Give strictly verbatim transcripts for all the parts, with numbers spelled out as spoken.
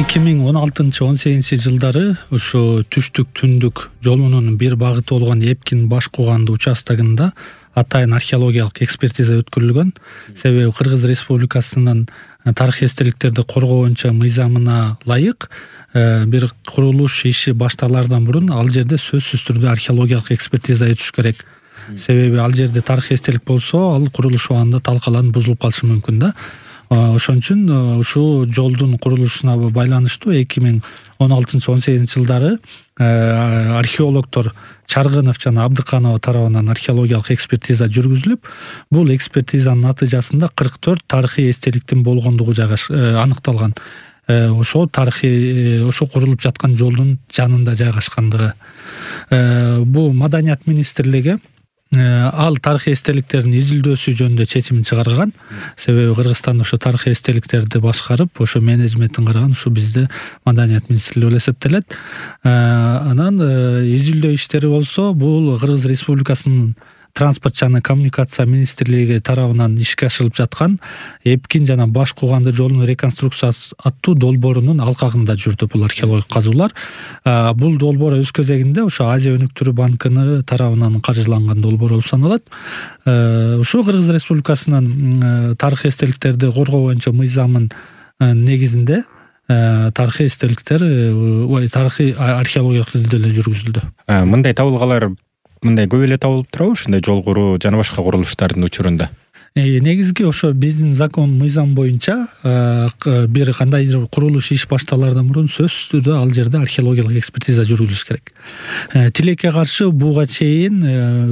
эки миң он алтынчы он сегизинчи жылдары ошо түштүк түндүк жолунун бир багыты болгон Эпкин баш кууганды участогунда атайын археологиялык экспертиза өткөрүлгөн. Себеби Кыргыз Республикасынын тарыхый эстеликтерди коргоо боюнча мыйзамына ылайык бир курулуш иши башталаардан мурун ал жерде сөзсүз түрдө археологиялык экспертиза өтүш керек. Себеби ал жерде тарыхый эстелик болсо, ал курулуш убагында талкаланып бузулуп калышы мүмкүн да. Ошон үчүн ушул жолдун курулушуна байланыштуу эки миң он алтынчы он сегизинчи жылдары археологдор Чаргынов жана Абдыканова тарабынан археологиялык экспертиза жүргүзүлүп, бул экспертизанын натыйжасында кырк төрт тарыхый эстеликтин болгондугу жагаш аныкталган. Ошол тарыхый ошо курулуп жаткан жолдун жанында жайгашкандыгы. Бул Маданият министрлиги ал тарыхый эстеликтердин изилдөөсү жөнүндө чечимин чыгарган. Себеби Кыргызстанда ошо тарыхый эстеликтерди башкарып, ошо менеджментин караган ушу бизде Маданият министрлиги болуп эсептелет. Анан изилдөө иштери болсо, бул Кыргыз Республикасынын Транспорт жана коммуникация министрлиги тарабынан ишке ашырылып жаткан Эпкин жана Баш Кууганды жолунун реконструкциясы аттуу долбоорунун алкагында жүрдү бул археологик казуулар. Бул долбоор өз кезегинде ошо Азия өнүктүрүү банкыны тарабынан каржыланган долбоор болуп саналат. Ушул Кыргыз Республикасынын тарыхый эстеликтерди коргоо боюнча мыйзамын негизинде тарыхый эстеликтер, тарыхый археологиялык изилдөөлөр жүргүзүлдү. Мындай табылгалар мындай көп эле табылып турабы ушундай жол куруу жана башка курулуштардын учурунда? Негизги ошо биздин закон мыйзам боюнча бир кандайдыр курулуш иш башталаардан мурун сөзсүз түрдө ал жерде археологиялык экспертиза жүргүзүлүш керек. Тилекке каршы буга чейин,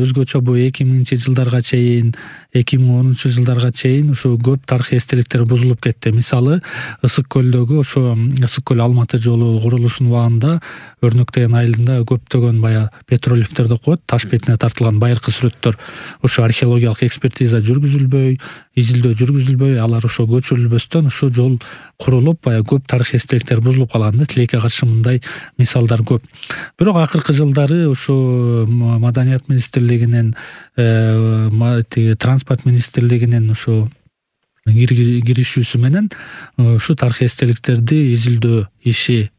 өзгөчө бу эки миңинчи жылдарга чейин, эки миң онунчу жылдарга чейин ошо көп тарыхый эстеликтер бузулуп кетти. Мисалы, Ысык көлдөгү ошо Ысык көл Алматы жолу курулушунун убагында Өрнөктөгөн айылында көптөгөн бая петролифтер деп коет, таш бетине тартылган байыркы сүрөттөр ошо археологиялык экспертиза жүргүзүлбөй, изилдөө жүргүзүлбөй, алар ошо көчүрүлбөстөн ошо жол курулуп, бая көп тарыхый эстеликтер бузулуп калган. Тилекке каршы мындай мисалдар көп. Бирок акыркы жылдары ошо Маданият министрлигинин, Транспорт министрлигинин ошо киришүүсү менен ушу тарыхый эстеликтерди изилдөө иши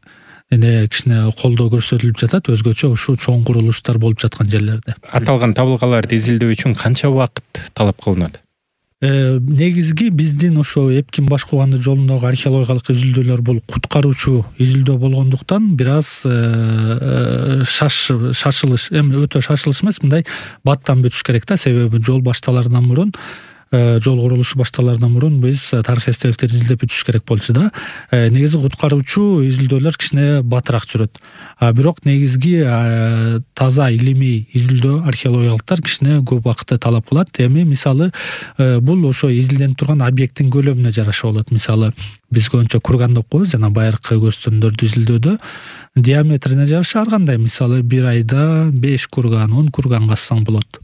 эне кичине колдоо көрсөтүлүп жатат, өзгөчө ушул чоң курулуштар болуп жаткан жерлерде. Аталган табылгаларды изилдөө үчүн канча убакыт талап кылынат? Негизги биздин ошо Эпкин Баш Кууганды жолундагы археологиялык изилдөөлөр бул куткаруучу изилдөө болгондуктан бир аз шашылыш, эми өтө шашылыш эмес, мындай баттан бүтүш керек да, себеби жол башталаардан мурун жол курулушу башталаардан мурун биз тарыхый эстеликтерди изилдеп бүтүш керек болчу да. Негизи куткаруучу изилдөөлөр кичине батыраак жүрөт. Бирок негизги таза илимий изилдөө археологиялыктар кичине көп убакытты талап кылат. Эми мисалы бул ошо изилденип турган объекттин көлөмүнө жараша болот. Мисалы биз көбүнчө курган деп коебуз, жана байыркы көрсөтмөлөрдү изилдөөдө диаметрине жараша ар кандай, мисалы бир айда беш курган, он курган казсаң болот.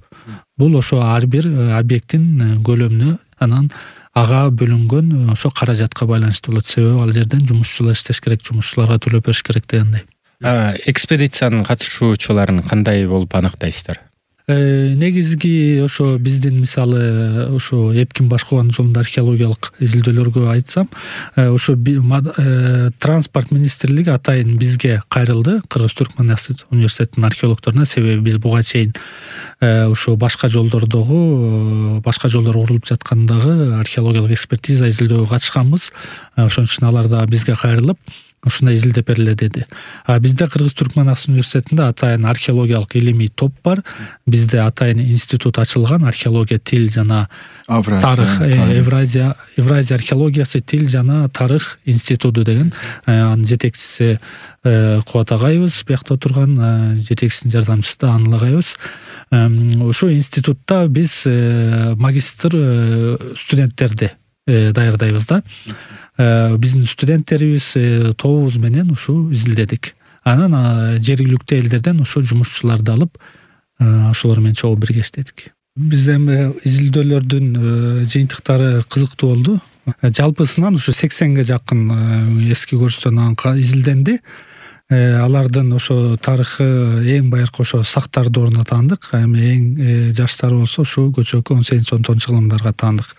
Бул ошо ар бир объекттин көлөмүнө, анан ага бөлүнгөн ошо каражатка байланыштуу болот. Себеби ал жерден жумушчулар иштеш керек, жумушчуларга төлөп бериш керек дегендей. Экспедициянын катышуучуларын кандай болуп анықтайсыздар? Негизги ошо биздин мисалы ошо Эпкин Баш Кууганды жолунда археологиялык изилдөөлөргө айтсам, ошо Транспорт министрлиги атайын бизге кайрылды, Кыргыз-Түркмөн университетинин археологдоруна. Себеби биз буга чейин ошо башка жолдордогу, башка жолдор курулуп жаткандагы археологиялык экспертиза изилдөөгө катышканбыз. Ошон үчүн алар да бизге кайрылып ушундай изилдеп бергиле деди. Бизде Кыргыз-Түркмөн университетинде атайын археологиялык илимий топ бар. Бизде атайын институт ачылган, археология, тил жана тарых, Евразия Евразия археологиясы, тил жана тарых институту деген. Анын жетекчиси Кубат агайыбыз, биякта отурган, жетекчисинин жардамчысы да Аныл агайыбыз. Ошол институтта биз магистр студенттерди даярдайбыз да. Биздин студенттерибиз тобубуз менен ушу изилдедик. Анан жергиликтүү элдерден ошо жумушчуларды алып, ошолор менен чогуу бирге иштедик. Биз эми изилдөөлөрдүн жыйынтыктары кызыктуу болду. Жалпысынан ушу сексенге жакын эски көрсөтөн изилденди. алардын ошо тарыхы эң байыркы ошо сактар дооруна таандык. Эми эң жаштары болсо ушу көчөкү он сегизинчи он тогузунчу кылымдарга таандык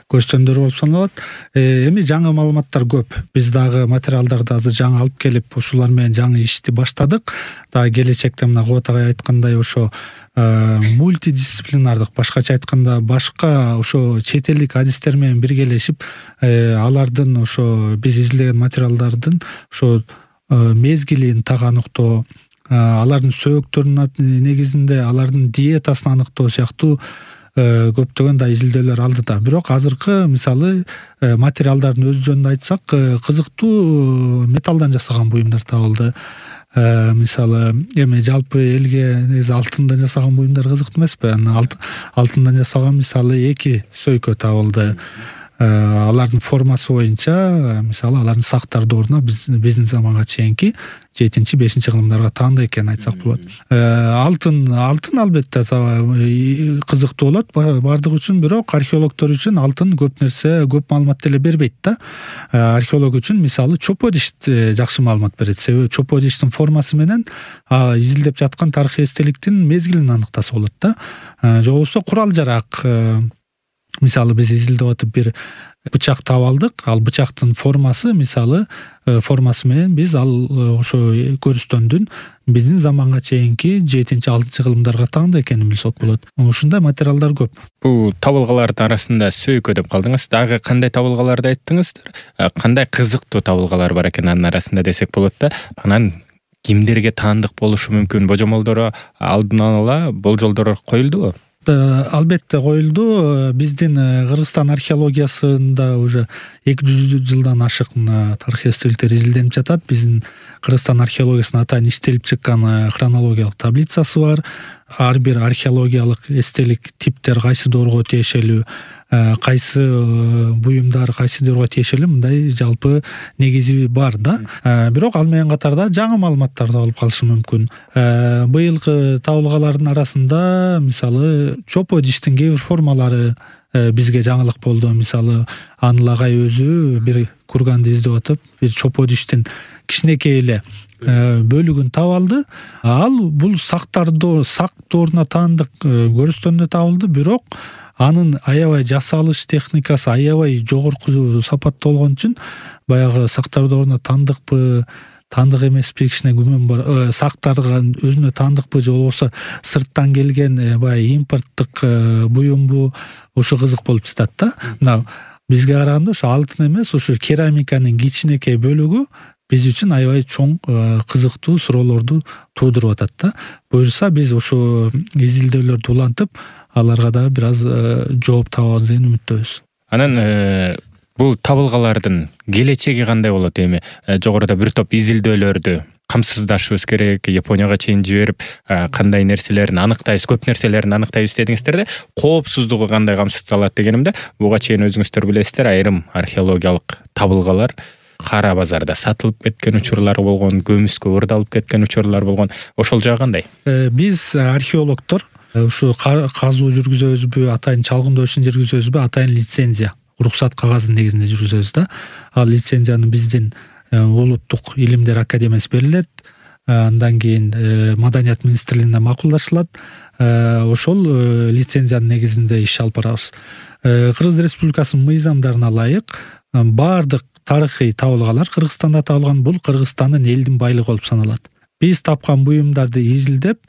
көчтөндөр болуп саналат. Эми жаңы маалыматтар көп. Биз дагы материалдарды азыр жаңы алып келип ушулар менен жаңы ишти баштадык. Дагы келечекте мына Кубат агай айткандай ошо мультидисциплинардык, башкача айтканда башка ошо чет элдик адистер менен биргелешип алардын ошо биз изилдеген материалдардын ошо мезгилин так аныктоо, алардын сөөгүктөрүнүн негизинде алардын диетасын аныктоо сыяктуу көптөгөн да изилдөөлөр алды да. Бирок азыркы мисалы материалдардын өз жөнүндө айтсак, кызыктуу металлдан жасаган буюмдар табылды. Мисалы эми жалпы элге негизи алтындан жасаган буюмдар кызыктуу эмеспи? Алтындан жасаган мисалы эки сөйкө табылды. Алардын формасы боюнча мисалы алардын сактар дооруна биздин заманга чейинки жетинчи бешинчи кылымдарга таандык экенин айтсак болот. Алтын алтын албетте кызыктуу болот бардык үчүн, бирок археологдор үчүн алтын көп нерсе, көп маалымат деле бербейт да. Археолог үчүн мисалы чопо диш жакшы маалымат берет. Себеби чопо диштин формасы менен изилдеп жаткан тарыхый эстеликтин мезгилин аныктаса болот да. Же болбосо курал жарак, мисалы биз изилдеп атып бир бычак таап алдык. Ал бычактын формасы мисалы формасы менен биз ал ошо көрүстөндүн биздин заманга чейинки жетинчи алтынчы кылымдарга таандык экенин билсек болот. Ушундай материалдар көп. Бул табылгалардын арасында сөйкө деп калдыңыз. Дагы кандай табылгаларды айттыңыздар? Кандай кызыктуу табылгалар бар экен анын арасында десек болот да. Анан кимдерге таандык болушу мүмкүн? Божомолдору алдын ала болжолдор коюлдубу? Албетте коюлду. Биздин Кыргызстан археологиясында уже эки жүз жылдан ашык тарыхый эстеликтер изилденип жатат. Биздин Кыргызстан археологиясына атайын иштелип чыккан хронологиялык таблицасы бар. Ар бир археологиялык эстелик типтер кайсы доорго тиешелүү, кайсы буюмдар кайсы доорго тиешелүү, мындай жалпы негизи бар да. Бирок ал менен катарда жаңы маалыматтар табылып калышы мүмкүн. Быйылкы табылгалардын арасында мисалы чопо диштин кээ бир формалары бизге жаңылык болду. Мисалы Аныл агай өзү бир курганды издеп атып, бир чопо диштин кичинекей эле бөлүгүн таап алды. Ал бул сактар сак дооруна таандык көрүстөндө табылды, бирок анын аябай жасалыш техникасы аябай жогорку сапатта болгон үчүн баягы сактар дооруна таандыкпы, таандык эмеспи кичине күмөн бар. Сактарга өзүнө таандыкпы же болбосо сырттан келген баягы импорттук буюмбу, ошо кызык болуп жатат да. Мына бизге караганда ошо алтын эмес, ошо керамиканын кичинекей бөлүгү биз үчүн аябай чоң кызыктуу суроолорду туудуруп атат да. Буюрса биз ошо изилдөөлөрдү улантып, аларга дагы бир аз жооп табабыз деген үмүттөбүз. Анан бул табылгалардын келечеги кандай болот? Эми жогоруда бир топ изилдөөлөрдү камсыздашыбыз керек, Японияга чейин жиберип кандай нерселерин аныктайбыз, көп нерселерин аныктайбыз дедиңиздер да. Коопсуздугу кандай камсыздалат дегенимде, буга чейин өзүңүздөр билесиздер, айрым археологиялык табылгалар кара базарда сатылып кеткен учурлар болгон, көмүскө ырдалып кеткен учурлар болгон. Ошол жагы кандай? Биз археологдор ушу казуу жүргүзөбүзбү, атайын чалгындоо ишин жүргүзөбүзбү, атайын лицензия, уруксат кагазын негизинде жүргүзөбүз да. Ал лицензияны биздин улуттук илимдер академиясы берилет. Андан кийин Маданият министрлигинде макулдашылат. Ошол лицензиянын негизинде иш алып барабыз. Кыргыз Республикасынын мыйзамдарына ылайык баардык тарыхый табылгалар Кыргызстанда табылган, бул Кыргызстандын элдин байлыгы болуп саналат. Биз тапкан буюмдарды изилдеп,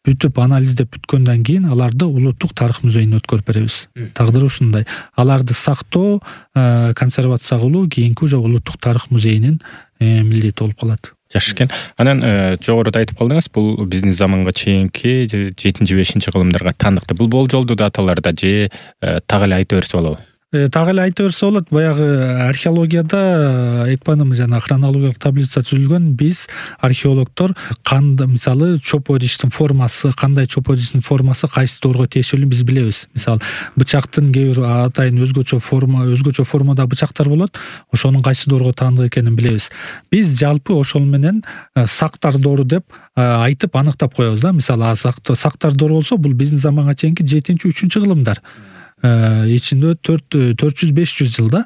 бүтүп анализдеп бүткөндөн кийин аларды улуттук тарых музейине өткөрүп беребиз. Тагдыры ушундай. Аларды сактоо, консервация кылуу кийинки уже улуттук тарых музейинин милдети болуп калат. Жакшы экен. Анан жогоруда айтып калдыңыз, бул биздин заманга чейинки жетинчи бешинчи кылымдарга таандыкты. Бул болжолдуу даталарда же так эле айта берсе болобу? Так эле айта берсе болот. Баягы археологияда айтпадымбы, жана хронологиялык таблица түзүлгөн. Биз археологдор кандай мисалы чопо диштин формасы, кандай чопо диштин формасы кайсы доорго тиешелүү биз билебиз. Мисалы бычактын кээ бир атайын өзгөчө форма, өзгөчө формада бычактар болот. Ошонун кайсы доорго таандык экенин билебиз. Биз жалпы ошол менен сактар доору деп айтып аныктап коебуз да. Мисалы сактар доору болсо, бул биздин заманга чейинки жетинчи үчүнчү кылымдар. ичинде төрт төрт жүз беш жүз жылда.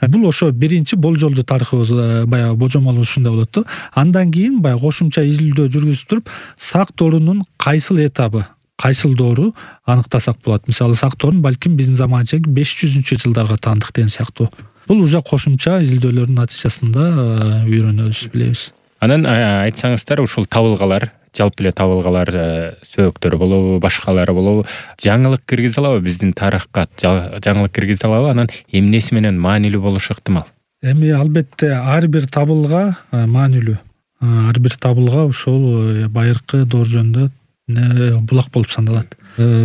Бул ошо биринчи болжолдуу тарыхыбыз, баягы божомолубуз ушундай болот да. Андан кийин баягы кошумча изилдөө жүргүзүп туруп сак доорунун кайсыл этабы, кайсыл доору аныктасак болот. Мисалы сак доорун балким биздин заманча беш жүзүнчү жылдарга таандык деген сыяктуу. Бул уже кошумча изилдөөлөрдүн натыйжасында үйрөнөбүз, билебиз. Анан айтсаңыздар, ушул табылгалар, жалпы эле табылгалар, сөөктөр болобу, башкалары болобу, жаңылык киргизе алабы биздин тарыхка, жаңылык киргизе алабы? Анан эмнеси менен маанилүү болушу ыктымал? Эми албетте ар бир табылга маанилүү. Ар бир табылга ошол байыркы доор жөнүндө булак болуп саналат.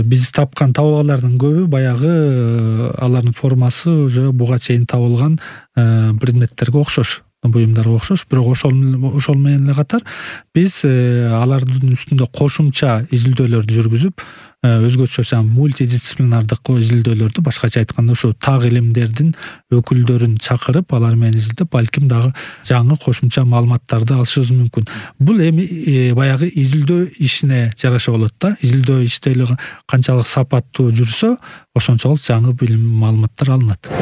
Биз тапкан табылгалардын көбү баягы алардын формасы уже буга чейин табылган предметтерге окшош, буюмдарга окшош, бирок ошол ошол менен эле катар биз алардын үстүндө кошумча изилдөөлөрдү жүргүзүп, өзгөчө мультидисциплинардык изилдөөлөрдү, башкача айтканда ушу так илимдердин өкүлдөрүн чакырып, алар менен изилдеп, балким дагы жаңы кошумча маалыматтарды алышыбыз мүмкүн. Бул эми баягы изилдөө ишине жараша болот да. Изилдөө иштери канчалык сапаттуу жүрсө, ошончолук жаңы билим маалыматтар алынат.